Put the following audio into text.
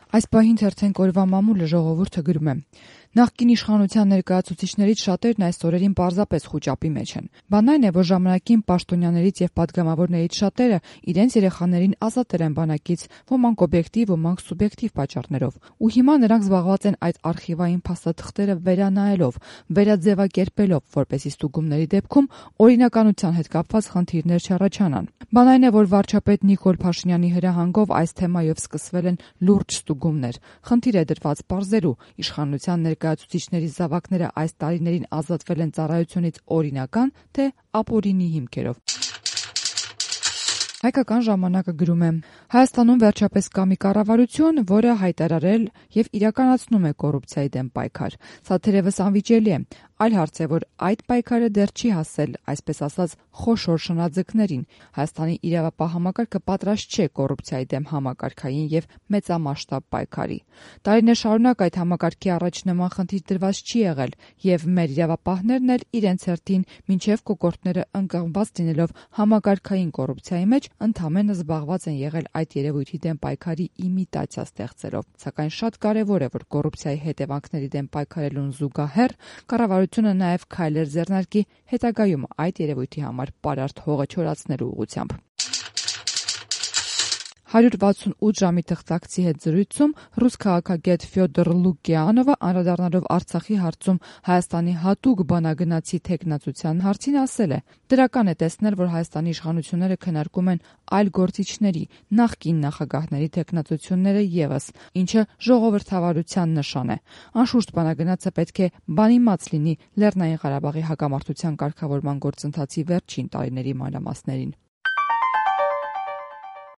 Այս պահին թերթենք օրվա մամուլը ժողովուրդը գրում է. Նախկին իշխանության ներկայացուցիչներից շատերն այս օրերին պարզապես խուճապի մեջ են։ Բանն այն է, որ ժամանակին պաշտոնյաներից եւ պատգամավորներից շատերը իրենց երեխաներին ազատել են բանակից, ոմանք օբյեկտիվ, ոմանք սուբյեկտիվ պատճառներով։ Ու հիմա նրանք զբաղված են այդ արխիվային փաստաթղթերը վերանայելով, վերաձևակերպելով, որպեսզի ստուգումների դեպքում օրինականության հետ կապված խնդիրներ չառաջանան։ Բան այն է, որ վարչապետ Նիկոլ Փաշինյանի հրահանգով այս թեմայով սկսվել են լուրջ ստուգումներ։ Խնդիր է դրված պարզելու իշխանության ներկայացուցիչների զավակները այս տարիներին ազատվել են ծառայությունից օրինական, թե ապօրինի հիմքերով։ Հայկական ժամանակը գրում է. Հայաստանում վերջապես կա մի կառավարություն, որը հայտարարել եւ իրականացնում է կոռուպցիայի դեմ պայքար։ Սա թերևս անվիճելի է։ Այլ հարց է, որ այդ պայքարը դեռ չի հասել, այսպես ասած, խոշոր շնաձկներին։ Հայաստանի իրավապահ համակարգը պատրաստ չէ կոռուպցիայի դեմ համակարգային եւ մեծամասշտաբ պայքարի։ Տարիներ շարունակ այդ համակարգի առաջ նման խնդիր դրված չի եղել եւ մեր իրավապահներն էլ իրենց հերթին մինչեւ կոկորդները ընկղմված լինելով համակարգային կոռուպցիայի մեջ ընդամենը զբաղված են եղել այդ երևույթի դեմ պայքարի իմիտացիա ստեղծելով։ Սակայն շատ կարևոր է, որ կոռուպցիայի հետևանքների դեմ պայքարելուն զուգահեռ կառավարությունը նաև քայլեր ձեռնարկի հետագայում այդ երևույթի համար պարարտ հողը չորացնելու ուղղությամբ։ 168 ժամի թղթակցի հետ զրույցում ռուս քաղաքագետ Ֆյոդոր Լուկիանովը անդրադառնալով Արցախի հարցում Հայաստանի հատուկ բանագնացի թեկնածության հարցին ասել է. դրական է տեսնել, որ Հայաստանի իշխանությունները քննարկում են այլ գործիչների, նախկին նախագահների թեկնածությունները ևս, ինչը ժողովրդավարության նշան է։ Անշուշտ բանագնացը պետք է բանիմաց լինի Լեռնային Ղարաբաղի հակամարտության կարգավորման գործընթացի վերջին տարիների մանրամասներին։